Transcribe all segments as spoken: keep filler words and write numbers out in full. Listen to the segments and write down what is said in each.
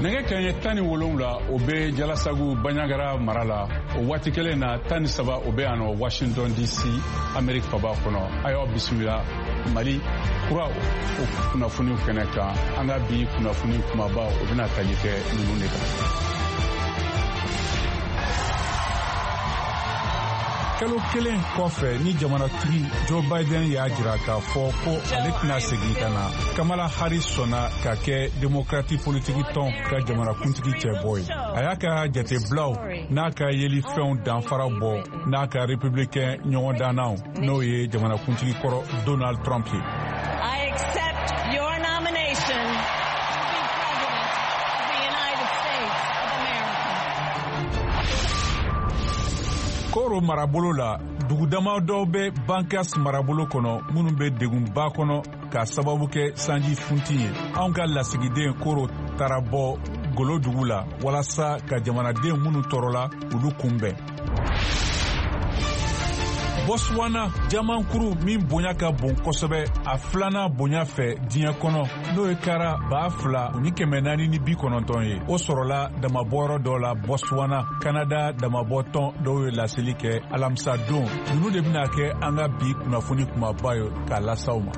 Nɛgɛ kanɲɛ tan ni wolonwula o bɛ Jalasagu Bandiagara mara la, o waati kelen na tan ni saba o bɛ yan nɔ Washington D C, Amerique faba kɔnɔ. A y'aw bisimila Mali Kura o kunnafoniw kɛnɛ kan. An ka bi kunnafoni kumaba, o bɛna tali kɛ ninnu de kan. Kalo kelen kɔfɛ ni jamanatigi Joe Biden y'a jira k'a fɔ ko ale tɛna segin ka na, Kamala Harris sɔnna ka kɛ Demokrati politiki tɔn ka jamanakuntigi cɛbɔ ye. A y'a ka jatebilaw n'a ka yelifɛnw danfara bɔ n'a ka républicain ɲɔgɔndannaw, n'o ye jamanakuntigi kɔrɔ Donald Trump ye. I accept your nomination to be President of the United States of America. Koro marabolo la, dugu dama dɔw bɛ Bankas marabolo kɔnɔ minnu bɛ degunba kɔnɔ k'a sababu kɛ sanji funti ye. Anw ka lasigiden Koro taara bɔ Golo dugu la walasa ka jamanaden minnu tɔɔrɔla, olu kunbɛn. Botswana, jamankuru min bonya ka bon kosɛbɛ, a filanan bonya fɛ diɲɛ kɔnɔ, n'o ye kara ba fila ni kɛmɛ naani ni bi kɔnɔntɔn ye, o sɔrɔla damabɔyɔrɔ dɔ la Botswana. Kanada damabɔtɔn dɔw ye laseli kɛ alamisa don. Ninnu de bɛna kɛ an ka bi kunnafoni kumaba ye k'a las'aw ma.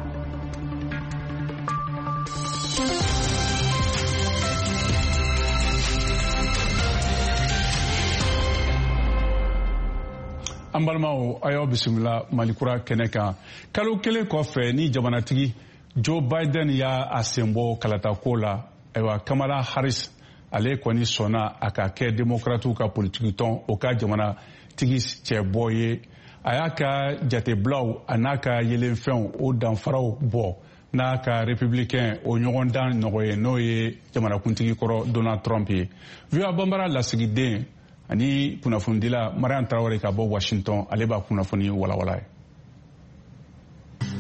An balimaw, a y'aw bisimila Malikura kɛnɛ kan. Kalo kelen kɔfɛ ni jamanatigi Joe Biden y'a a senbɔ kalatako la, ayiwa, Kamala Harris ale kɔni sɔnna a ka kɛ Demokratiw ka politikitɔn o ka jamanatigi cɛbɔ ye. A y'a ka jatebilaw a n'a ka yelenfɛnw o danfaraw bɔ n'a ka républicain o ɲɔgɔndan nɔgɔ ye, n'o ye jamanakuntigi kɔrɔ Donald Trump ye. V O A Banbara lasigiden ani kunnafonidila Mariam Tarawele ka bɔ Washington, ale b'a kunnafoni walawala ye.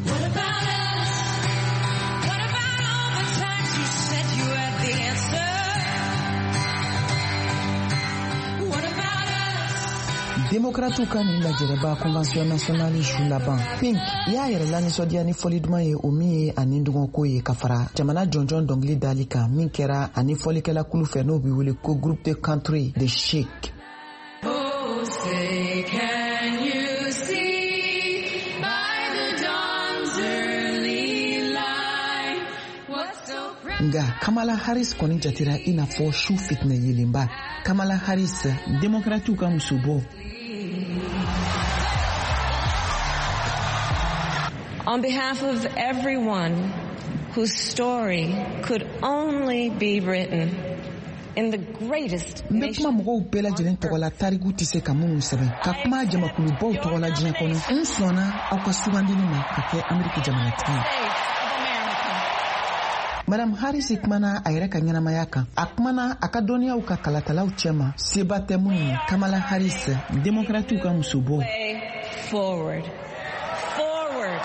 What about us? What about all the times you said you had the answer? What about us? Demokratiw ka nin lajɛrɛba Convention nationale su laban, Pink y'a yɛrɛ lanisɔndiya ni fɔli duman ye, o min ye ani dungɔko ye, ka fara jamana jɔnjɔn dɔnkili dali kan min kɛra ani fɔlikɛla kulu fɛ, n'o be wele ko Groupe de Country de Chic. Oh, say, can you see by the dawn's early light what so Nga Kamala Harris kɔni jatera i n'a fɔ su fitinɛ yelenba. Kamala Harris, Demokratiw ka musobɔ. On behalf of everyone whose story could only be written in the greatest N bɛ kuma mɔgɔw bɛɛ lajɛlen tɔgɔ la, tariku tɛ se ka minnu sɛbɛn, ka kuma jamakulubaw tɔgɔ la diɲɛ kɔnɔ. N sɔnna aw ka sugandili ma ka kɛ Ameriki jamanatigi ye. States of America. Madame Harris kumana a yɛrɛ ka ɲɛnamaya kan, a kumana a ka dɔnniyaw ka kalatalaw cɛma seba tɛ minnu ye. Kamala Harris, Demokratiw ka musobɔ. Way forward. Forward.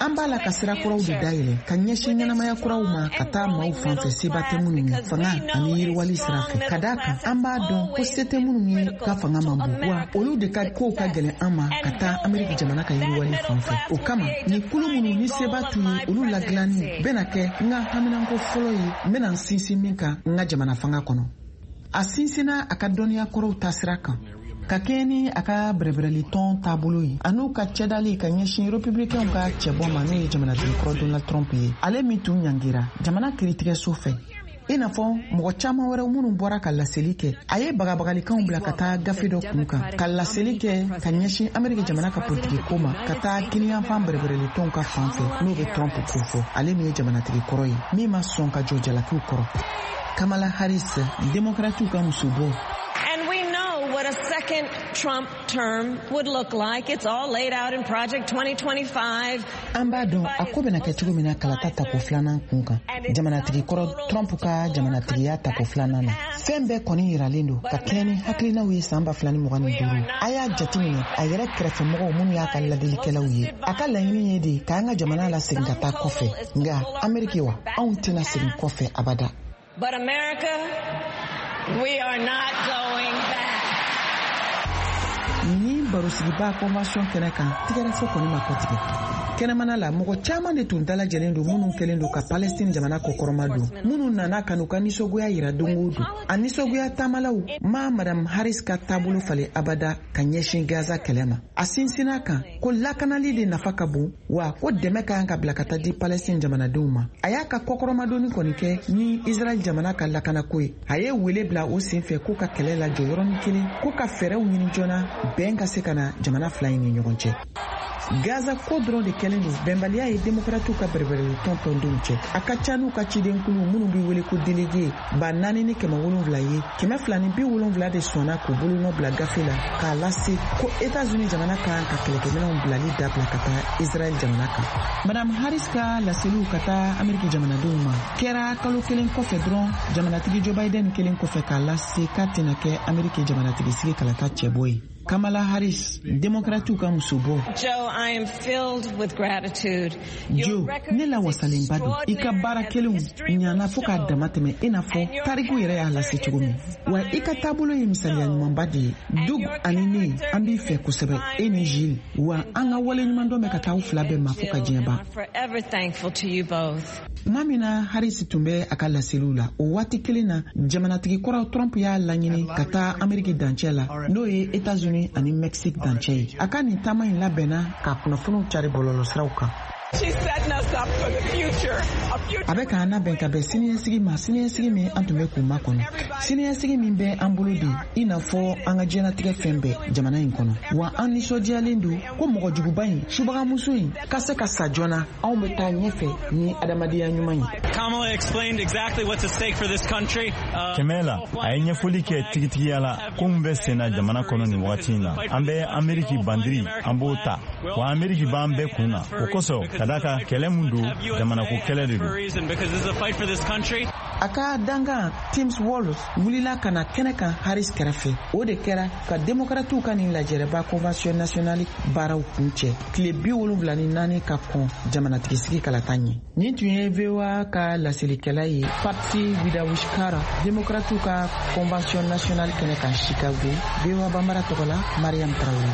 An b'a la ka sira kuraw de dayɛlɛ ka ɲɛsin ɲɛnamaya kuraw ma, ka taa maaw fan fɛ seba tɛ minnu ye, fanga ani yiriwali sira fɛ, ka daa kan an b'a dɔn ko se tɛ minnu ye ka fanga man bon, wa olu de ka kow ka gɛlɛn an ma ka taa Ameriki jamana ka yiriwali fan fɛ. O kama, ni kulu minnu ni seba t'u ye, olu ladilanni bɛna kɛ n ka haminanko fɔlɔ ye, n bɛna n sinsin min kan n ka jamana fanga kɔnɔ. A sinsinna a ka dɔnniya kɔrɔw taasira kan ka kɛɲɛ ni a ka bɛrɛbɛrɛli tɔn taabolo ye, an'u ka cɛdali ka ɲɛsin republicainw ka cɛbɔ ma, n'o ye jamanatigi kɔrɔ Donald Trump ye, ale min tun ɲangira jamana kiritigɛso fɛ, i n'a fɔ mɔgɔ caaman wɛrɛw minnu bɔra ka laseli kɛ. A ye bagabagalikanw bila ka taa gafe dɔ kun kan ka laseli kɛ ka ɲɛsin Ameriki jamana ka politiki ko ma, ka taa kiniyanfan bɛrɛbɛrɛlitɔnw ka fan fɛ, n'o bɛ Trump kofɔ, ale min ye jamanatigi kɔrɔ ye min ma sɔn ka jɔ jalakiw kɔrɔ. Kamala Harris, Demokratiw ka musobɔ. And we know what a second Trump term would look like. It's all laid out in Project twenty twenty-five. An b'a dɔn a ko bɛna kɛ cogo min na kalata tako filanan kun kan, jamanatigi kɔrɔ Trump ka jamanatigiya tako filanan na. Fɛn bɛɛ kɔni yiralen don ka kɛɲɛ ni hakilinaw ye san ba fila ni mugan ni duuru. A y'a jateminɛ a yɛrɛ kɛrɛfɛmɔgɔw minnu y'a ka ladilikɛlaw ye, a ka laɲini ye de k'an ka jamana lasegin ka taa kɔfɛ. Nga Ameriki wa, anw tɛna segin kɔfɛ abada. But America, we are not going back. Ni barosigiba convention kɛnɛ kan, tigɛrɛfɔ kɔni ma kɔtigɛ. Kɛnɛmana la, mɔgɔ caman de tun dalajɛlen don minnu kɛlen don ka Palestine jamana kɔkɔrɔma don, minnu nana ka n'u ka nisɔngoya yira don o don. A nisɔngoya taamalaw ma Madame Harris ka taabolo falen abada ka ɲɛsin Gaza kɛlɛ ma. A sinsinna kan ko lakanali de nafa ka bon, wa ko dɛmɛ ka kan ka bila ka taa di Palestine jamanadenw ma. A y'a ka kɔkɔrɔmadonni kɔni kɛ ni Israɛl jamana ka lakanako ye. A ye wele bila o senfɛ k'u ka kɛlɛ lajɔ yɔrɔnin kelen, k'u ka fɛɛrɛw ɲini joona bɛn ka se ka na jamana fila in ni ɲɔgɔn cɛ. Gaza ko dɔrɔn de kɛlen don bɛnbaliya ye demokratiw ka bɛrɛbɛrɛli tɔn tɔndenw cɛ. A ka ca n'u ka cidenkulu minnu bɛ wele ko délégué ba naani ni kɛmɛ wolonwula ye, kɛmɛ fila ni bi wolonwula de sɔnna k'u bolonɔ bila gafe la k'a lase ko Etats-Unis jamana kan ka kɛlɛkɛminɛnw bilali dabila ka taa Israɛl jamana kan. Madame Harris ka laseliw ka taa Ameriki jamanadenw ma kɛra kalo kelen kɔfɛ dɔrɔn jamanatigi Joe Biden kelen kɔfɛ k'a lase k'a tɛna kɛ Ameriki jamanatigi sigi kalata cɛbɔ ye. Kamala Harris, demokratiw ka musobɔ. Joe, I am filled with gratitude. Joe, ne lawasalenba don. I ka baara kelenw ɲana fo k'a dama tɛmɛ i n'a fɔ tariku yɛrɛ y'a lase cogo min. Wa i ka taabolo ye misaliya ɲumanba de ye. Doug ani ne, an b'i fɛ kosɛbɛ, e ni Jill. Wa an ka waleɲumandɔn bɛ ka taa aw fila bɛɛ ma fo ka diɲɛ ban. Forever thankful to you both. Tuma min na Harris tun bɛ a ka laseliw la, o waati kelen na, jamanatigi kɔrɔ Trump y'a laɲini ka taa Ameriki dancɛ la, n'o ye Etats-Unis ani Mexique dancɛ ye. A ka nin taama in labɛnna ka kunnafoniw cari bɔlɔlɔsiraw kan. A bɛ k'an labɛn ka bɛn siniɲɛsigi ma, siniɲɛsigi min an tun bɛ k'u makɔnɔ, siniɲɛsigi min bɛ an bolo de i n'a fɔ an ka diɲɛlatigɛ fɛn bɛɛ jamana in kɔnɔ. Wa an nisɔndiyalen don ko mɔgɔjuguba in, subagamuso in ka se ka sa joona. Anw bɛ taa ɲɛfɛ ni adamadenya ɲuman ye. Kɛmɛ la, a ye ɲɛfɔli kɛ tigitigiya la ko min bɛ sen na jamana kɔnɔ nin wagati in na. An bɛ Ameriki bandiri, an b'o ta, wa Ameriki b'an bɛɛ kun na. O kosɔn, ka d'a kan kɛlɛ mun don, jamanako kɛlɛ de don. A ka dankan Tim Walz wulila ka na kɛnɛ kan Harris kɛrɛfɛ. O de kɛra ka demokratiw ka nin lajɛrɛba convention nationale baaraw kuncɛ tile bi wolonwula ni naani ka kɔn jamanatigisigi kalata ɲɛ. Nin tun ye V O A ka laselikɛla ye, Patsy Widakuswara, demokratiw ka convention nationale kɛnɛ kan Chicago. V O A Bambara tɔgɔ la, Mariam Traoré.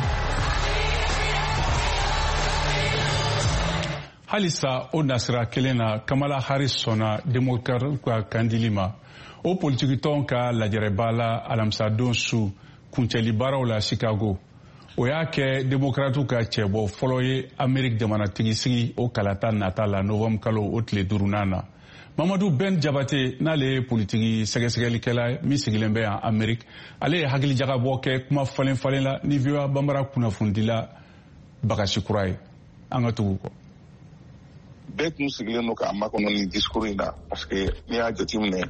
Halisa o nasira kelen na, Kamala Harris sɔnna demokratiw ka kandili ma o politikitɔn ka lajɛrɛba la alamisadon su kuncɛli baaraw la Chicago. O y'a kɛ demokratiw ka cɛbɔ fɔlɔ ye Ameriki jamanatigi sigi o kalata nata la novembre kalo o tile duurunan na. Mamadu Ben Jabate, n'ale ye politiki sɛgɛsɛgɛlikɛla min sigilen bɛ yan Ameriki, ale ye hakilijagabɔ kɛ kuma falen falen la ni V O A Bambara kunnafonidila Bagasi Kura ye. An ka tugu kɔ. Bɛɛ tun sigilen don k'a makɔnɔ nin discours in na, parce que n'i y'a jateminɛ,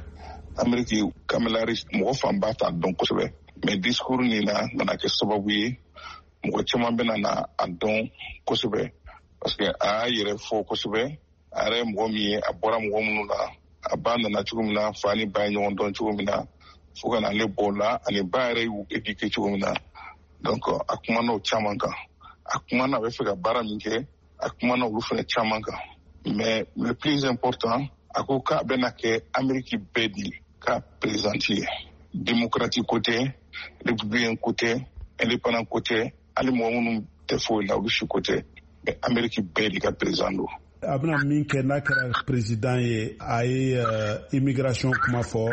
Ameriki Kamala Harris mɔgɔ fanba t'a dɔn kosɛbɛ, mais discours nin na nana kɛ sababu ye mɔgɔ caman bɛna na a dɔn kosɛbɛ, parce que a y'a yɛrɛ fɔ kosɛbɛ, a yɛrɛ ye mɔgɔ min ye, a bɔra mɔgɔ minnu na, a ba nana cogo min na, fa ni ba ye ɲɔgɔn dɔn cogo min na, fo ka na ale bɔ o la, ani ba yɛrɛ y'u éduquer cogo min na. Donc a kumana o caman kan, a kumana a bɛ fɛ ka baara min kɛ, a kumana olu fana caman kan. Mais le plus important, a ko k'a bɛna kɛ Ameriki bɛɛ de ka présidente ye. Démocrate ko tɛ, républicain ko tɛ, indépendant ko tɛ, hali mɔgɔ minnu tɛ foyi la olu si ko tɛ, mais Ameriki bɛɛ de ka président don. A bɛna min kɛ n'a kɛra président ye, a ye immigration kuma fɔ,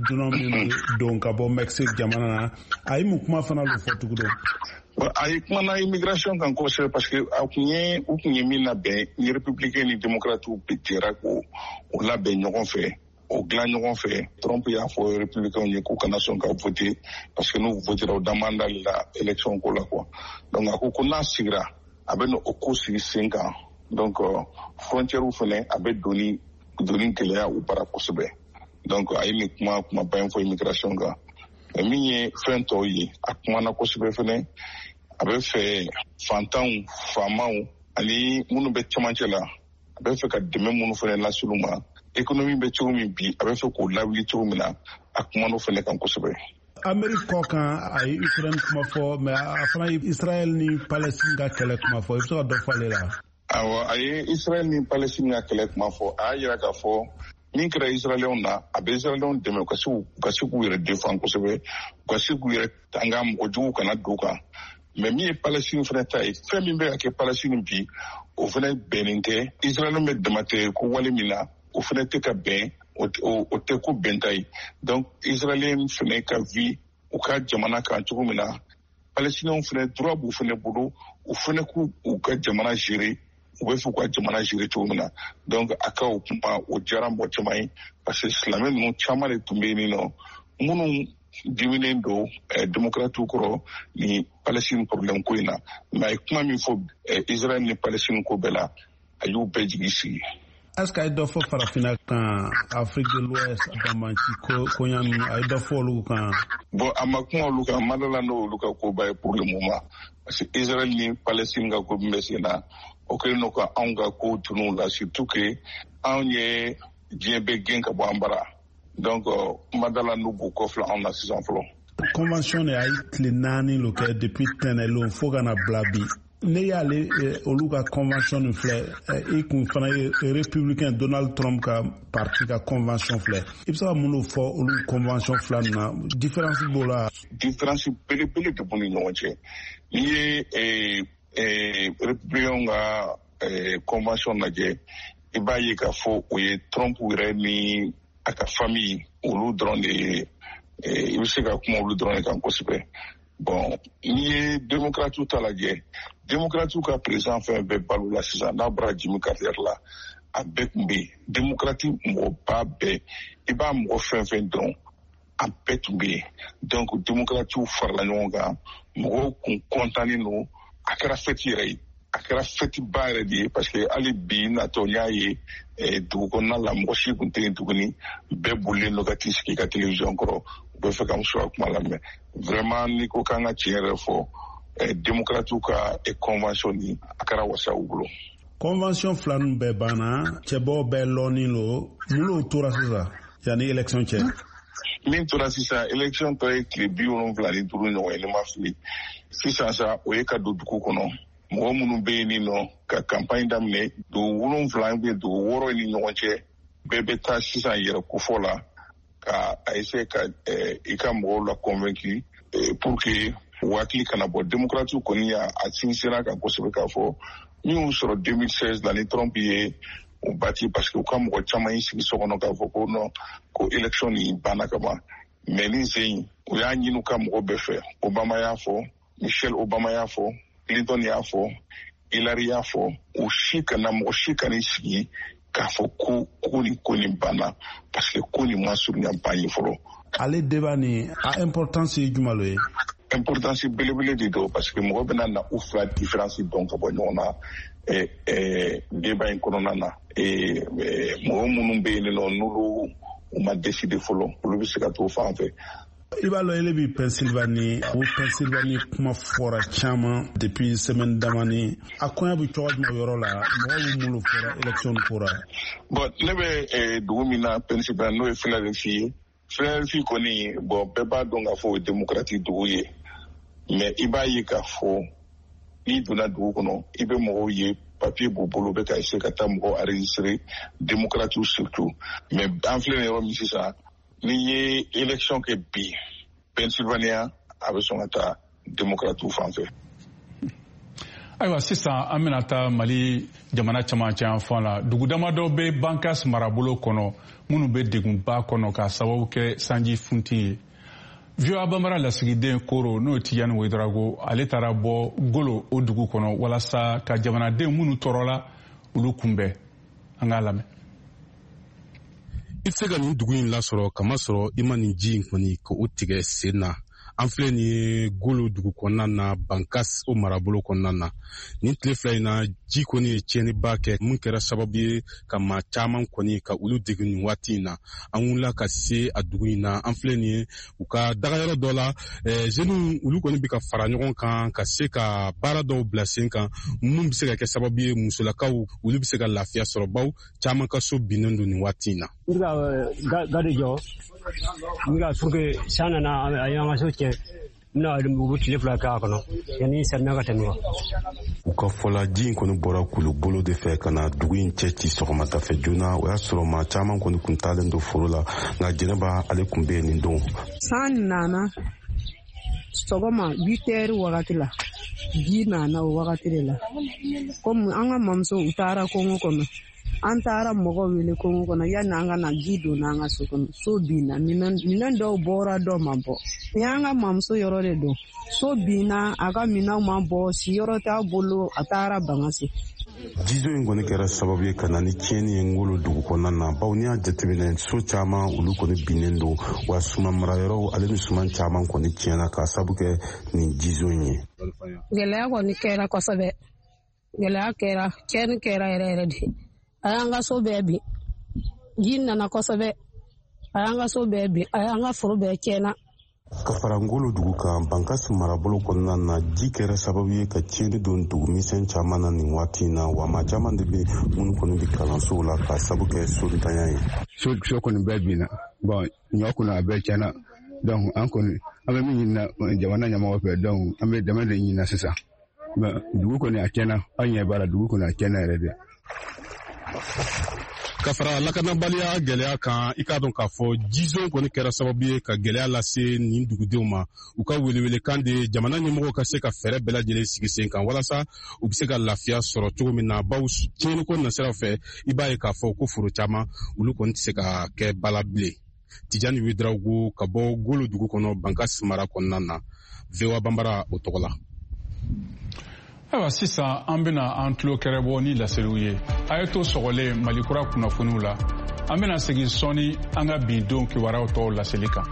dunan minnu don ka bɔ Mexique jamana na, a ye mun kuma fana lo fɔ tugun? A ye kumana immigration kan kosɛbɛ, parce que a kun ye u kun ye min labɛn ni républicain ni démocrate jɛra k'o o labɛn ɲɔgɔn fɛ, o dilan ɲɔgɔn fɛ. Trump y'a fɔ républicain ye k'u kana sɔn ka voter, parce que n'u votera u da man d'ale la élection ko la quoi. Donc a ko ko n'a sigira, a bɛ na o ko sigi sen kan. Donc frontière fɛnɛ a bɛ doni doni gɛlɛya u bara kosɛbɛ. Donc a ye nin kuma kumaba in fɔ immigration kan. Min ye fɛn tɔw ye, a kumana kosɛbɛ fɛnɛ. A bɛ fɛ fantanw, faamaw ani minnu bɛ cɛmancɛ la, a bɛ fɛ ka dɛmɛ minnu fɛnɛ lase olu ma. Économie bɛ cogo min bi, a bɛ fɛ k'o lawuli cogo min na, a kumana o fɛnɛ kan kosɛbɛ. Ameriki kɔ kan, a ye Ukraine kuma fɔ, mais a fana ye Israël ni Palestine ka kɛlɛ kuma fɔ. I bɛ se ka dɔ fɔ ale la? Awɔ, a ye Israël ni Palestine ka kɛlɛ kuma fɔ. A y'a yira k'a fɔ min kɛra Israɛlɛnw na, a bɛ Israɛlɛnw dɛmɛ u ka se u ka se k'u yɛrɛ défend kosɛbɛ, u ka se k'u yɛrɛ tanga mɔgɔ juguw kana don u kan. Mais min ye Palestine fana ta ye, fɛn min bɛ ka kɛ Palestine bi, o fana bɛnnen tɛ. Israël bɛ damatɛ ko wale min na, o fana tɛ ka bɛn, o tɛ ko bɛnta ye. Donc Israël fana ka vie u ka jamana kan cogo min na, Palestiniens fana droit b'u fana bolo, u fana k'u u ka jamana gérer, u bɛ fɛ u ka jamana gérer cogo min na. Donc a ka o kuma o diyara mɔgɔ caman ye, parce que silamɛ ninnu caman de tun bɛ yen nɔ minnu diminen don démocrates kɔrɔ ni Palestine problème ko in na. Mais a ye kuma min fɔ Israël ni Palestine ko bɛɛ la, a y'u bɛɛ jigi sigi. Est-ce que a ye dɔ fɔ farafinna kan, Afrique de l'Ouest, banbanci koɲa ninnu, a ye dɔ fɔ olu kan? Bon, a ma kuma olu kan, ma dala n'olu ka koba ye pour le moment, parce que Israël ni Palestine ka ko min bɛ sen na, o kɛlen don ka anw ka ko tunu la, surtout que anw ye diɲɛ bɛɛ gɛn ka bɔ an bara. Donc ma dala n'u b'u kɔfilɛ anw na sisan fɔlɔ. Convention de a ye tile naani lo kɛ depuis tɛnɛlon fo ka na bila bi. Ne y'ale olu ka convention nin filɛ, i kun fana ye républicain Donald Trump ka parti ka convention filɛ, i bɛ se ka mun de fɔ olu convention fila nin na, différence b'o la? Différence belebele de b'u ni ɲɔgɔn cɛ. N'i ye républicain ka convention lajɛ, i b'a ye k'a fɔ o ye Trump yɛrɛ ni a ka famille olu dɔrɔn de ye, i bɛ se ka kuma olu dɔrɔn de kan kosɛbɛ. Bon, n'i ye démocrates ta lajɛ, démocrates ka président fɛn bɛɛ balo la sisan, n'a bɔra Jimmy Carter la, a bɛɛ tun bɛ yen. Démocrate mɔgɔba bɛɛ, i b'a mɔgɔ fɛn fɛn dɔn, a bɛɛ tun bɛ yen. Donc démocrates farala ɲɔgɔn kan, mɔgɔw kun kɔntannen don, a kɛra fête yɛrɛ ye. A kɛra fête ba yɛrɛ de ye, parce que hali bi natɔ n y'a ye dugu kɔnɔna la, mɔgɔ si tun tɛ yen tuguni, bɛɛ bolilen don ka t'i sigi ka télévision kɔrɔ, u bɛ fɛ ka muso ka kuma lamɛn. Vraiment, n'i ko k'an ka tiɲɛ yɛrɛ fɔ, démocrates ka convention ni a kɛra wasa u bolo. Convention fila ninnu bɛɛ banna, cɛbɔw bɛɛ lɔnnen don, mun n'o tora sisan yanni élection cɛ? Min tora sisan, élection tɔ ye tile bi wolonwula ni duuru ɲɔgɔn ye, ne ma fili. Sisan sa, o ye ka don dugu kɔnɔ. Mɔgɔ minnu bɛ yen nɔ ka campagne daminɛ, dugu wolonwula bɛ dugu wɔɔrɔ ni ɲɔgɔn cɛ, bɛɛ bɛ taa sisan yɛrɛ kofɔ la ka a essayer ka i ka mɔgɔw la convaincu pour que u hakili kana bɔ. Démocrates kɔni y'a sinsinna kan kosɛbɛ k'a fɔ min y'u sɔrɔ deux mille seize la ni Trump ye u bati, parce que u ka mɔgɔ caman y'i sigi so kɔnɔ k'a fɔ ko non, ko élection nin banna ka ban. Mais nin sen in, u y'a ɲini u ka mɔgɔ bɛɛ fɛ. Obama y'a fɔ, Michelle Obama y'a fɔ, Clinton y'a fɔ, Hillary y'a fɔ, u si kana mɔgɔ si kana sigi k'a fɔ ko ko nin ko nin banna, parce que ko nin ma surunya ban ye fɔlɔ. Ale débat nin, a importance ye jumɛn ye? Importance belebele de don, parce que mɔgɔ bɛna na u fila différence dɔn ka bɔ ɲɔgɔn na débat in kɔnɔna na. Mɔgɔ minnu bɛ yen nɔ n'olu u ma décider fɔlɔ, olu bɛ se ka t'o fan fɛ. I b'a lɔn ele bi Pennsylvanie, o Pennsylvanie kuma fɔra caman depuis semaine damani. A koɲa bɛ cogo jumɛn yɔrɔ la, mɔgɔw bɛ mun fɔra élection ko la? Bon, ne bɛ dugu min na Pennsylvanie, n'o ye Philadelphie ye. Philadelphie kɔni, bon, bɛɛ b'a dɔn k'a fɔ o ye démocratique dugu ye. Mais i b'a ye k'a fɔ n'i donna dugu kɔnɔ, i bɛ mɔgɔw ye papier b'u bolo, bɛ ka essayer ka taa mɔgɔw enregistrer, démocrates surtout. Mais an filɛ nin yɔrɔ min sisan, n'i ye élection kɛ bi Pennsylvania, a bɛ sɔn ka taa démocrates fan fɛ. Ayiwa, sisan an bɛna taa Mali jamana camancɛ yanfan la. Dugu damadɔ bɛ Bankas marabolo kɔnɔ minnu bɛ degunba kɔnɔ k'a sababu kɛ sanji funti ye. V O A Bambara lasigiden Koro, n'o ye Tijani Ouedraogo, ale taara bɔ Golo o dugu kɔnɔ walasa ka jamanaden minnu tɔɔrɔla olu kunbɛn. An k'a lamɛn. I tɛ se ka nin dugu in lasɔrɔ kamasɔrɔ i ma nin ji in kɔni k'o tigɛ sen na. An filɛ nin ye Golo dugu kɔnɔna na, Bankas o marabolo kɔnɔna na. Nin tile fila in na, ji kɔni ye tiɲɛniba kɛ mun kɛra sababu ye ka maa caman kɔni ka olu degun nin waati in na. An wulila ka se a dugu in na, an filɛ nin ye u ka dagayɔrɔ dɔ la. Jeunes olu kɔni bɛ ka fara ɲɔgɔn kan ka se ka baara dɔw bila sen kan mun bɛ se ka kɛ sababu ye musolakaw olu bɛ se ka lafiya sɔrɔ, baw caman ka so binnen don nin waati in na. N bɛ ka ga de jɔ, n bɛ ka pour que san nana a y'an ka so tiɲɛ, n bɛna u bɛ tile fila k'a kɔnɔ yanni samiya ka tɛmɛ. U ka fɔla, ji in kɔni bɔra kulu bolo de fɛ ka na dugu in cɛ ci sɔgɔmada fɛ joona. O y'a sɔrɔ maa caman kɔni kun taalen don foro la, nka Jɛnɛba ale kun bɛ yen nin don. San nana sɔgɔma huit heures wagati la, Ji nana o wagati de la. Komi an ka mamuso u taara kongo kɔnɔ. An taara mɔgɔw wele kongo kɔnɔ yanni an ka na ji donna an ka so kɔnɔ. So binna, minɛn dɔw bɔra dɔw ma bɔ. Ni an ka mamuso yɔrɔ de don. So binna, a ka minɛnw ma bɔ, siyɔrɔ t'a bolo, a taara Bankasi. Jizo in kɔni kɛra sababu ye ka na ni tiɲɛni ye Ngolo dugu kɔnɔna na, bawo n'i y'a jateminɛ so caman olu kɔni binnen don, wa suman marayɔrɔw ale ni suman caman kɔni tiɲɛna k'a sabu kɛ nin jizo in ye. Gɛlɛya kɔni kɛra kosɛbɛ, gɛlɛya kɛra, tiɲɛni kɛra yɛrɛ yɛrɛ de. A y'an ka so bɛɛ bin, ji nana kosɛbɛ, a y'an ka so bɛɛ bin, a y'an ka foro bɛɛ tiɲɛna. Ka fara Ngolo dugu kan, Bankasi marabolo kɔnɔna na, ji kɛra sababu ye ka tiɲɛni don dugumisɛn caman na nin waati in na, wa maa caman de bɛ minnu kɔni bɛ kalansow la k'a sabu kɛ sontanya ye. So so kɔni bɛɛ binna, bɔn ɲɔ kɔni a bɛɛ tiɲɛna, donc an kɔni an bɛ min ɲini jamana ɲɛmɔgɔ fɛ, donc an bɛ dɛmɛ de ɲini sisan. Mais dugu kɔni a tiɲɛna, an ɲɛ b'a la dugu kɔni a tiɲɛna yɛrɛ de. Ka fara lakanabaliya gɛlɛya kan, i k'a dɔn k'a fɔ jizon kɔni kɛra sababu ye ka gɛlɛya lase nin dugudenw ma. U ka welewelekan de jamana ɲɛmɔgɔw ka se ka fɛɛrɛ bɛɛ lajɛlen sigi sen kan walasa u bɛ se ka lafiya sɔrɔ cogo min na, bawo tiɲɛniko nasiraw fɛ, i b'a ye k'a fɔ ko foro caman olu kɔni tɛ se ka kɛ bala bilen. Tijani Ouedraogo ka bɔ Golo dugu kɔnɔ, Bankasi mara kɔnɔna na, V O A Banbara o tɔgɔ la. Ayiwa, sisan an bɛna an tulo kɛrɛbɔ ni laseliw ye. A ye to sɔgɔlen Mali kura kunnafoniw la. An bɛna segin sɔɔni an ka bi don kibaruyaw tɔw laseli kan.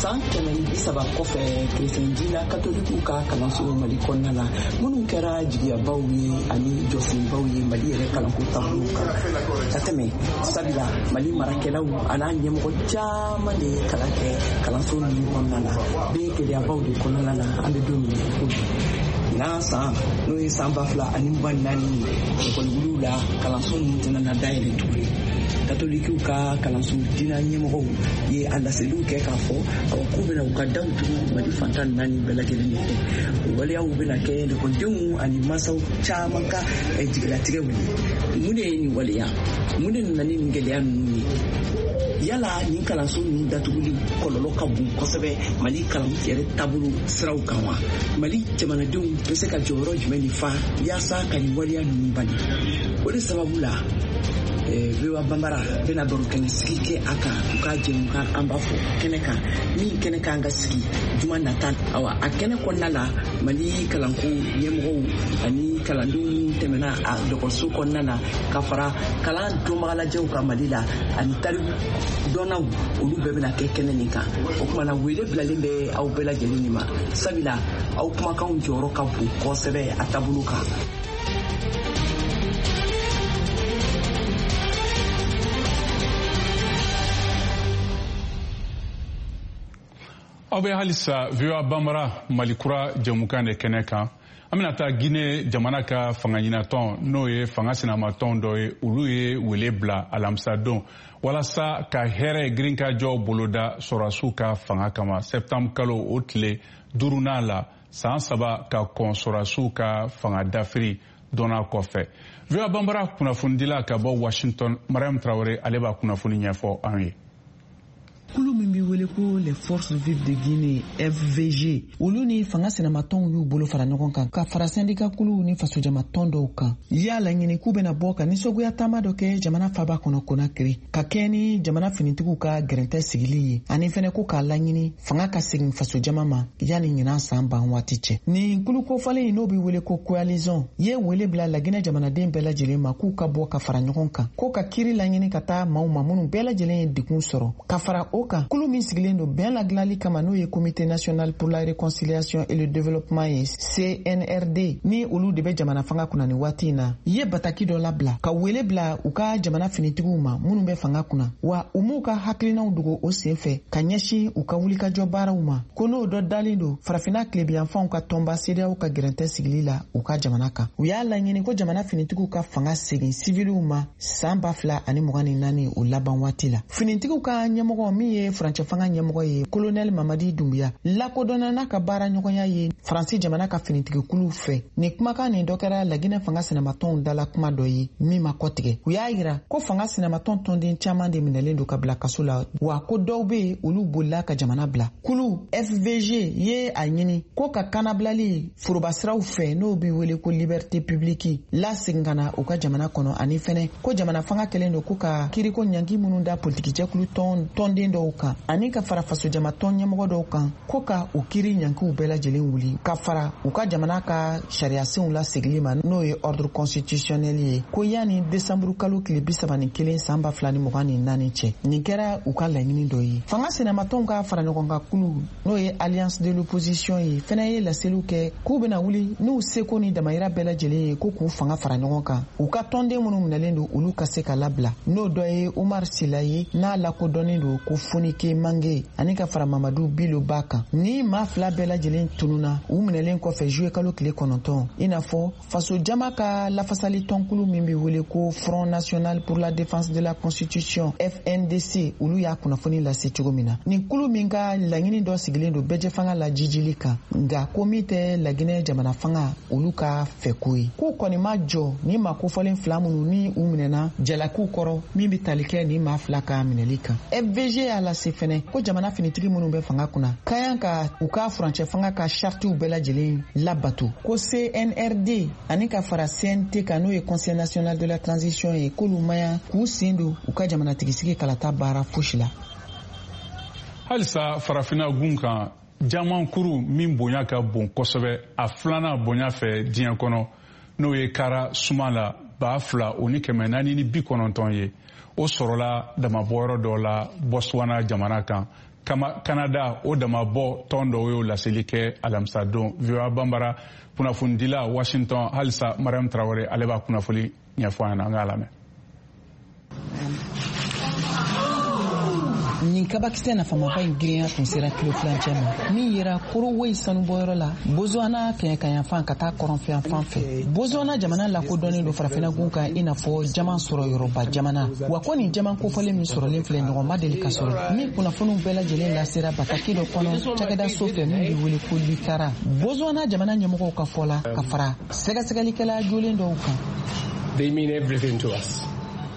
San kɛmɛ ni bi saba kɔfɛ, kerecɛn diinɛ katolikiw ka kalanso Mali kɔnɔna la, minnu kɛra jigiyabaw ye ani jɔsenbaw ye Mali yɛrɛ kalanko taabolo kan ka tɛmɛ, sabula Mali marakɛlaw an'a ɲɛmɔgɔ caman de ye kalan kɛ kalanso ninnu kɔnɔna la, bɛɛ gɛlɛyabaw de kɔnɔna la. An bɛ don min na i ko bi, ɲinan san n'o ye san ba fila ani mugan ni naani ye, ekɔliwuliw la kalanso ninnu tɛna na dayɛlɛ tuguni. Katolikiw ka kalanso diinɛ ɲɛmɔgɔw ye a laseliw kɛ k'a fɔ awa k'u bɛna u ka daw tugu Mali fantan naani bɛɛ lajɛlen de fɛ. O waleyaw bɛna kɛ lekɔlidenw ani mansaw caman ka jigilatigɛw ye. Mun de ye nin waleya? Mun de nana ni nin gɛlɛya ninnu ye? Yala nin kalanso ninnu datuguli kɔlɔlɔ ka bon kosɛbɛ Mali kalan yɛrɛ taabolo siraw kan wa? Mali jamanadenw bɛ se ka jɔyɔrɔ jumɛn de fa yaasa ka nin waleya ninnu bali? O de sababu la, V O A Banbara bɛna baro kɛnɛ sigi kɛ a kan u ka jɛmukan an b'a fɔ kɛnɛ kan, min kɛnɛ kan ka sigi juma nata. Awa a kɛnɛ kɔnɔna la, Mali kalanko ɲɛmɔgɔw ani kalandenw tɛmɛna a dɔgɔtɔrɔso kɔnɔna na ka fara kalan dɔnbagalajɛw kan Mali la ani tariku dɔnnaw, olu bɛɛ bɛna kɛ kɛnɛ nin kan. O tuma na, wele bilalen bɛ aw bɛɛ lajɛlen de ma, sabula aw kumakanw jɔyɔrɔ ka bon kosɛbɛ a taabolo kan. Aw bɛ halisa V O A Banbara Mali kura jɛmukan de kɛnɛ kan. An bɛna taa Guinée jamana ka fanga ɲinatɔn, n'o ye fanga sinamatɔn dɔ ye, olu ye wele bila alamisadon walasa ka hɛrɛ girinkajɔ boloda sɔrɔdasiw ka fanga kama septembre kalo o tile duurunan la, san saba ka kɔn sɔrɔdasiw ka fanga dafiri dɔnna kɔfɛ. V O A Banbara kunnafonidila ka bɔ Washington, Mariam Traoré, ale b'a kunnafoni ɲɛfɔ an ye. Kulu min bɛ wele ko les forces vives de Guinée F V G, olu ni fanga sinamatɔnw y'u bolo fara ɲɔgɔn kan ka fara sɛndika kuluw ni fasojamatɔn dɔw kan. Y'a laɲini k'u bɛna bɔ ka nisɔngoya taama dɔ kɛ jamana faba kɔnɔ Conakry, ka kɛɲɛ ni jamana finitigiw ka gɛrɛntɛ sigili ye, ani fɛnɛ ko k'a laɲini fanga ka segin fasojama ma yanni ɲinan san ban waati cɛ. Nin kulu kofɔlen in n'o bɛ wele ko coalition ye wele bila Laginɛ jamanaden bɛɛ lajɛlen ma k'u ka bɔ ka fara ɲɔgɔn kan, ko ka kiiri laɲini ka taa maaw ma minnu bɛɛ lajɛlen ye degun sɔrɔ, ka fara o kan kulu min sigilen don bɛn ladilanli kama, n'o ye Comité national pour la réconciliation et le développement ye C N R D, ni olu de bɛ jamana fanga kunna nin waati in na, ye bataki dɔ labila ka wele bila u ka jamana finitigiw ma minnu bɛ fanga kunna, wa u m'u ka hakilinaw dogo o sen fɛ ka ɲɛsin u ka wulikajɔ baaraw ma, ko n'o dɔ dalen don farafinna tilebiyanfanw ka tɔnba CEDEAO ka gɛrɛntɛ sigili la u ka jamana kan. U y'a laɲini ko jamana finitigiw ka fanga segin siviliw ma san ba fila ani mugan ni naani o laban waati la. Finitigiw ka ɲɛmɔgɔ min ye furancɛ fanga fanga ɲɛmɔgɔ ye Colonel Mamadi Doumbouya lakodɔnna n'a ka baara ɲɔgɔnya ye Faransi jamana ka finitigikuluw fɛ. Nin kumakan nin dɔ kɛra Laginɛ fanga sinamatɔnw dala kuma dɔ ye min ma kɔtigɛ. U y'a yira ko fanga sinamatɔn tɔnden caman de minɛlen don ka bila kaso la, wa ko dɔw bɛ yen olu bolila ka jamana bila. Kulu F V G ye a ɲini ko ka kanabilali forobasiraw fɛ n'o bɛ wele ko liberté publique lasegin ka na u ka jamana kɔnɔ, ani fɛnɛ ko jamana fanga kɛlen don ko ka kiriko ɲangi minnu da politikijɛkulu tɔn tɔnden dɔw kan ani ka fara fasojama tɔn ɲɛmɔgɔ dɔw kan ko ka u kiri ɲangiw bɛɛ lajɛlen wuli ka fara u ka jamana ka sariyasenw lasegili ma n'o ye ordre constitutionnel ye, ko yanni desanburu kalo tile bi saba ni kelen san ba fila ni mugan ni naani cɛ. Nin kɛra u ka laɲini dɔ ye. Fanga sinamatɔnw ka fara ɲɔgɔn kan kulu n'o ye alliance de l'opposition ye fɛnɛ ye laseliw kɛ k'u bɛna wuli n'u seko ni damayira bɛɛ lajɛlen ye ko k'u fanga fara ɲɔgɔn kan, u ka tɔnden minnu minɛlen don olu ka se ka labila, n'o dɔ ye Umar Sila ye n'a lakodɔnnen don ko Fonike Mange ani ka fara Mamadu Bilo Ba kan. Ni maa fila bɛɛ lajɛlen tununa u minɛlen kɔfɛ juillet kalo tile kɔnɔntɔn, i n'a fɔ faso jama ka lafasali tɔnkulu min bɛ wele ko Front National pour la Défense de la Constitution F N D C, olu y'a kunnafoni lase cogo min na. Nin kulu min ka laɲini dɔ sigilen don bɛɛjɛfanga la jijili kan, nka ko min tɛ Laginɛ jamana fanga olu ka fɛko ye. K'u kɔni ma jɔ ni maa kofɔlen fila minnu ni u minɛna jalakiw kɔrɔ min bɛ tali kɛ ni maa fila ka minɛli kan. F V G y'a lase fɛnɛ ko jamana finitigi minnu bɛ fanga kunna ka kan ka u ka furancɛ fanga ka saritiw bɛɛ lajɛlen labato, ko C N R D ani ka fara C N T kan n'o ye Conseil national de la transition ye, k'olu maɲa k'u sen don u ka jamanatigisigi kalata baara fosi la. Halisa farafinna gun kan, jamankuru min bonya ka bon kosɛbɛ a filanan bonya fɛ diɲɛ kɔnɔ n'o ye kara suma la ba fila o ni kɛmɛ naani ni bi kɔnɔntɔn ye, o sɔrɔla damabɔyɔrɔ dɔ la Botswana jamana kan. Kanada o damabɔ tɔn dɔw y'o laseli kɛ alamisadon. V O A Banbara kunnafonidila Washington halisa Mariam Traoré ale b'a kunnafoni ɲɛfɔ an ɲɛna, an k'a lamɛn. Nin kabakisɛ nafamaba in girinya tun sera kilo filancɛ ma min yera Korowoyi sanubɔyɔrɔ la Botswana kɛɲɛkayanfan ka taa kɔrɔnfɛyanfan fɛ. Botswana jamana lakodɔnnen don farafinnagun kan i n'a fɔ jaman sɔrɔ yɔrɔba jamana, wa ko nin jaman kofɔlen min sɔrɔlen filɛ ɲɔgɔn ma deli ka sɔrɔ, min kunnafoniw bɛɛ lajɛlen lasera bataki dɔ kɔnɔ cakɛda so fɛ min bɛ wele ko Lukara. Botswana jamana ɲɛmɔgɔw ka fɔ la ka fara sɛgɛsɛgɛlikɛla jolen dɔw kan. They mean everything to us.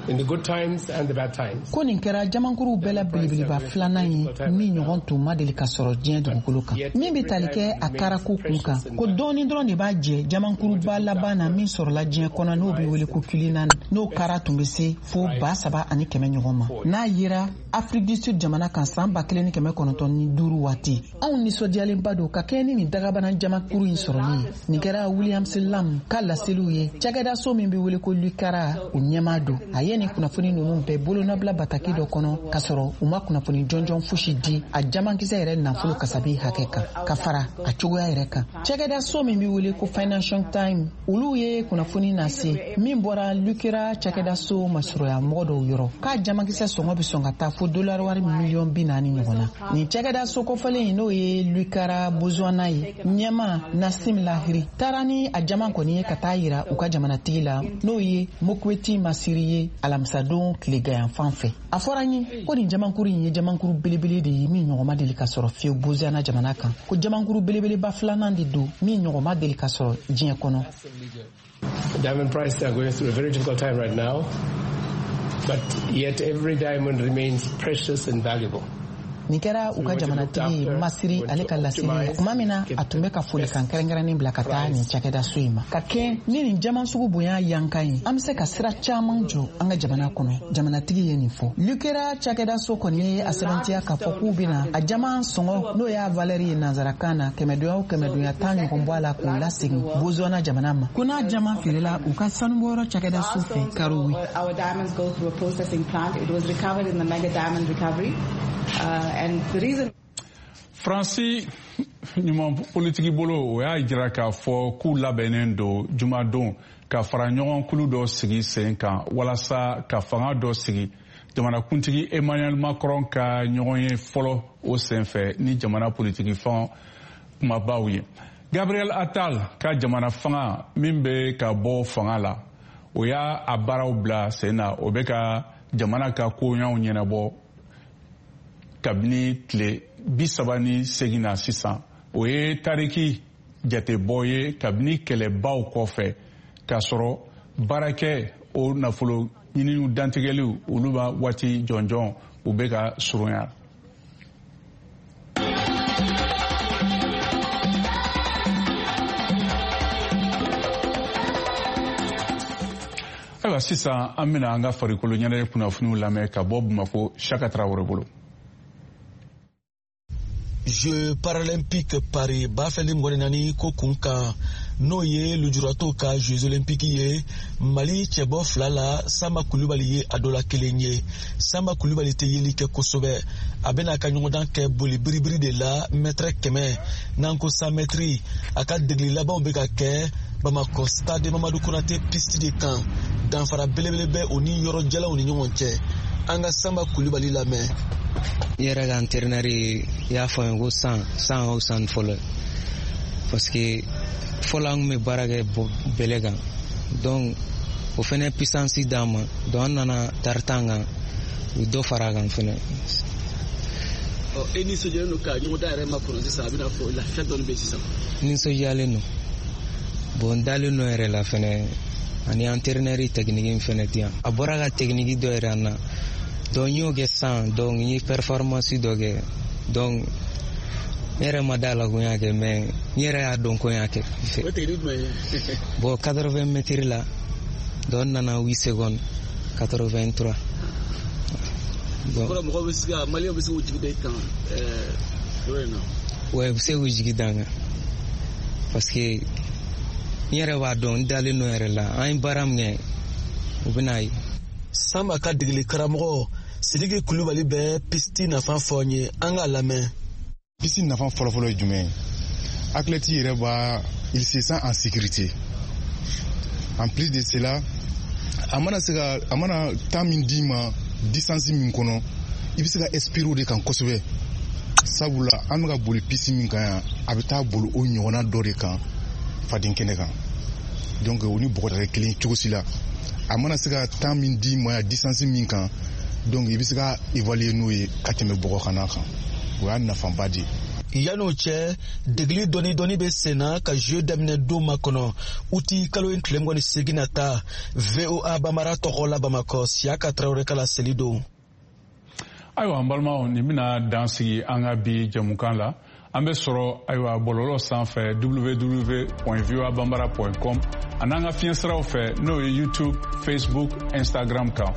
In the good times and the bad times. Ko nin kɛra jamankuru bɛɛ la belebeleba filanan ye min ɲɔgɔn tun ma deli ka sɔrɔ diɲɛ dugukolo kan, min bɛ tali kɛ a karako kun kan, ko dɔɔni dɔrɔn de b'a jɛ jamankuruba laban na min sɔrɔla diɲɛ kɔnɔ n'o bɛ wele ko Cullinan, n'o kara tun bɛ se fo ba saba ani kɛmɛ ɲɔgɔn ma, n'a yera Afrique du Sud jamana kan san ba kelen ni kɛmɛ kɔnɔntɔn ni duuru waati. Anw nisɔndiyalenba don ka kɛɲɛ ni nin dagabana jamankuru in sɔrɔli ye. Nin kɛra Williams Lam ka laseliw ye cakɛdaso min bɛ wele ko Lukara o ɲɛmaa don. A ye nin kunnafoni ninnu bɛɛ bolonɔbila bataki dɔ kɔnɔ k'a sɔrɔ u ma kunnafoni jɔnjɔn fosi di a jamankisɛ yɛrɛ nafolo kasabi hakɛ kan ka fara a cogoya yɛrɛ kan. Cakɛdaso min bɛ wele ko Financial Times olu ye kunnafoni nase min bɔra Lukera cakɛdaso masurunya mɔgɔ dɔw yɔrɔ k'a jamankisɛ sɔngɔ bɛ sɔn ka taa fo dolari wari miliyɔn bi naani ɲɔgɔn na. Nin cakɛdaso kofɔlen in n'o ye Lukara Botswana ye ɲɛma Nassim Lahiri taara ni a jaman kɔni ye ka taa yira u ka jamanatigi la n'o ye Mokweti Masiri ye alamisadon tileganyanfan fɛ. A fɔra n ye ko nin jamankuru in ye jamankuru belebele de ye min ɲɔgɔn ma deli ka sɔrɔ fiyewu Botswana jamana kan, ko jamankuru belebeleba filanan de don min ɲɔgɔn ma deli ka sɔrɔ diɲɛ kɔnɔ. Diamond prices are going through a very difficult time right now, but yet every diamond remains precious and valuable. Nin kɛra u ka jamanatigi Masiri ale ka laseli ye tuma min na a tun bɛ ka folikan kɛrɛnkɛrɛnnen bila ka taa nin cakɛdaso in ma. Ka kɛ ni nin jaman sugu bonya yankan ye, an bɛ se ka sira caman jɔ an ka jamana kɔnɔ, jamanatigi ye nin fɔ. Lukera cakɛdaso kɔni ye a sɛbɛntiya k'a fɔ k'u bɛna a jaman sɔngɔ n'o y'a valeur ye nansarakan na kɛmɛdonya o kɛmɛdonya tan ɲɔgɔn bɔ a la k'o lasegin Botswana jamana ma, ko n'a jaman feerela u ka sanubɔyɔrɔ cakɛdaso fɛ Karowe. Our diamonds go through a processing plant. It was recovered in the mega diamond recovery. Uh, and the reason Faransi ɲuman politiki bolo o y'a jira k'a fɔ k'u labɛnnen don jumadon ka fara ɲɔgɔn kulu dɔ sigi sen kan walasa ka fanga dɔ sigi jamanakuntigi Emmanuel Macron ka ɲɔgɔn ye fɔlɔ o senfɛ ni jamana politiki fɛn kumabaw ye. Gabriel Attal ka jamana fanga min bɛ ka bɔ fanga la o y'a a baaraw bila sen na, o bɛ ka jamana ka koɲaw ɲɛnabɔ kabini tile bi saba ni segin na sisan. O ye tariki jatebɔ ye kabini kɛlɛbaw kɔfɛ, k'a sɔrɔ baarakɛ o nafolo ɲininiw dantigɛliw olu b'a waati jɔnjɔn u bɛ ka surunya. Ayiwa, sisan an bɛna an ka farikolo ɲɛnajɛ kunnafoniw lamɛn ka bɔ Bamako, Saka Tarawele bolo. Jeux paralympiques Paris ba fila ni mugan ni naani ko kun kan, n'o ye lujuratɔw ka Jeux olympiques ye, Mali cɛbɔ fila la, Sanba Kulubali ye a dɔ la kelen ye. Sanba Kulubali tɛ yeli kɛ kosɛbɛ. A bɛna a ka ɲɔgɔndan kɛ boli biribiri de la, mɛtɛrɛ kɛmɛ n'an ko cent mètres. A ka degeli labanw bɛ ka kɛ Bamakɔ stade Mamadu Konate piste de kan. Danfara belebele bɛ o ni yɔrɔ jalanw ni ɲɔgɔn cɛ. An ka Sanba Kulubali lamɛn. N yɛrɛ ka entraîneur y'a fɔ n ye ko san san o san fɔlɔ, parce que fɔlɔ an kun bɛ baara kɛ bɛlɛ kan, donc o fɛnɛ puissance d'an ma, donc an nana tartan kan, u ye dɔ fara a kan fɛnɛ. Ɔ, e nisɔndiyalen don ka ɲɔgɔndan yɛrɛ makɔnɔ sisan, a bɛna fɔ lafiya dɔɔni bɛ sisan? Nisɔndiyalen don, bon n dalen don yɛrɛ la fɛnɛ, ani entraîneur technique fɛnɛ di yan. A bɔra ka technique dɔ yɛrɛ an na, donc n y'o kɛ sisan, donc n ye performance dɔ kɛ, donc n yɛrɛ ma da la ko n y'a kɛ, mais n yɛrɛ y'a dɔn ko n y'a kɛ. O technique jumɛn ye? Bon, quatre-vingts mètres la, donc n nana huit secondes quatre-vingt-trois. Bon, kɔrɔ mɔgɔw bɛ se ka, maliyɛnw bɛ se k'u jigi da i kan yɔrɔ in na? Ouais, u bɛ se k'u jigi da n kan, parce que n yɛrɛ b'a dɔn, n dalen don yɛrɛ la, an ye baara min kɛ, u bɛna ye. Sanba ka degeli karamɔgɔ Sidiki Kulubali bɛ piste nafa fɔ n ye, an k'a lamɛn. Piste nafa fɔlɔfɔlɔ ye jumɛn ye? Athlète yɛrɛ b'a, il se sent en sécurité. En plus de cela, a mana se ka, a mana temps min d'i ma distance min kɔnɔ, i bɛ se ka expirer o de kan kosɛbɛ. Sabula an bɛ ka boli piste min kan yan, a bɛ taa boli o ɲɔgɔnna dɔ de kan faden kɛnɛ kan. Donc o ni bɔgɔ tɛ kelen cogo si la. A mana se ka temps min d'i ma yan distance min kan, donc i bɛ se ka évaluer n'o ye ka tɛmɛ bɔgɔ kana kan. O y'a nafaba de ye. Yan'o cɛ, degeli dɔɔni dɔɔni bɛ sen na ka jeu daminɛ don makɔnɔ uti kalo in tile mugan ni seegin nata. V O A Bamara tɔgɔ la Bamakɔ, Siyaka Tarawele ka laseli don. Ayiwa, an balimaw, nin bɛna dan sigi an ka bi jɛmukan la. An bɛ sɔrɔ ayiwa bɔlɔlɔ sanfɛ w w w point voa bambara point com ani an ka fiɲɛsiraw fɛ, n'o ye YouTube, Facebook, Instagram kan.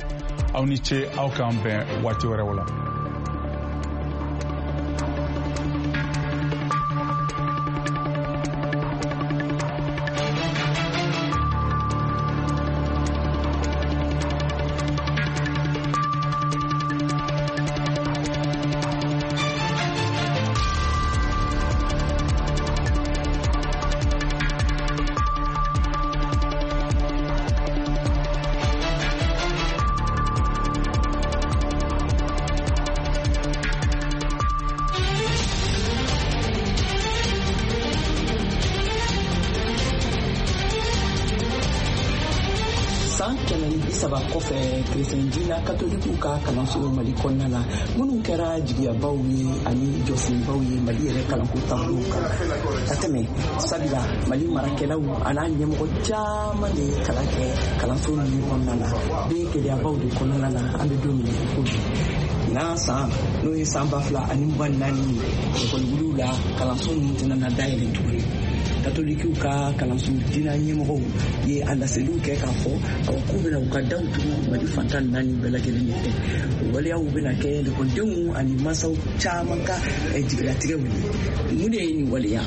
Aw ni ce, aw k'an bɛn waati wɛrɛw la. San kɛmɛ ni bi saba kɔfɛ, kerecɛn diinɛ katolikiw ka kalanso Mali kɔnɔna la, minnu kɛra jigiyabaw ye ani jɔsenbaw ye Mali yɛrɛ kalanko taabolow kan ka tɛmɛ, sabula Mali marakɛlaw an'a ɲɛmɔgɔ caman de ye kalan kɛ kalanso ninnu kɔnɔna la, bɛ gɛlɛyabaw de kɔnɔna la. An bɛ don min na i ko bi, ɲinan san n'o ye san ba fila ani mugan ni naani ye, ekɔliwuliw la kalanso ninnu tɛna na dayɛlɛ tuguni. Katolikiw ka kalanso diinɛ ɲɛmɔgɔw ye a laseliw kɛ k'a fɔ awa k'u bɛna u ka daw tugu Mali fantan naani bɛɛ lajɛlen de fɛ. O waleyaw bɛna kɛ lekɔlidenw ani mansaw caman ka jigilatigɛw ye. Mun de ye nin waleya?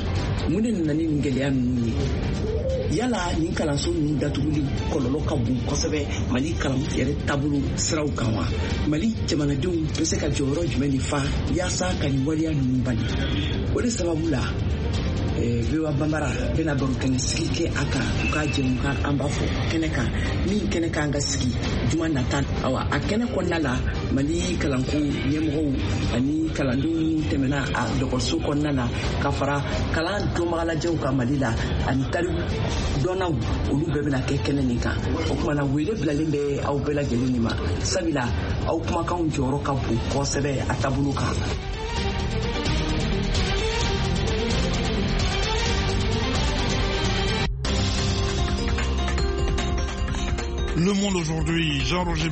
Mun de nana ni nin gɛlɛya ninnu ye? Yala nin kalanso ninnu datuguli kɔlɔlɔ ka bon kosɛbɛ Mali kalan yɛrɛ taabolo siraw kan wa? Mali jamanadenw bɛ se ka jɔyɔrɔ jumɛn de fa yaasa ka nin waleya ninnu bali? O de sababu la, V O A Bambara bɛna baro kɛnɛ sigi kɛ a kan, u ka jɛmukan an b'a fɔ kɛnɛ kan, min kɛnɛ kan ka sigi juma nata. Awa, a kɛnɛ kɔnɔna la, Mali kalanko ɲɛmɔgɔw ani kalandenw minnu tɛmɛna a dɔgɔtɔrɔso kɔnɔna na, ka fara kalan dɔnbagalajɛw ka Mali la ani tariku dɔnnaw, olu bɛɛ bɛna kɛ kɛnɛ nin kan. O kumana, wele bilalen bɛ aw bɛɛ lajɛlen de ma, sabula aw kumakanw jɔyɔrɔ ka bon kosɛbɛ a taabolo kan. Le Monde aujourd'hui, Jean-Roger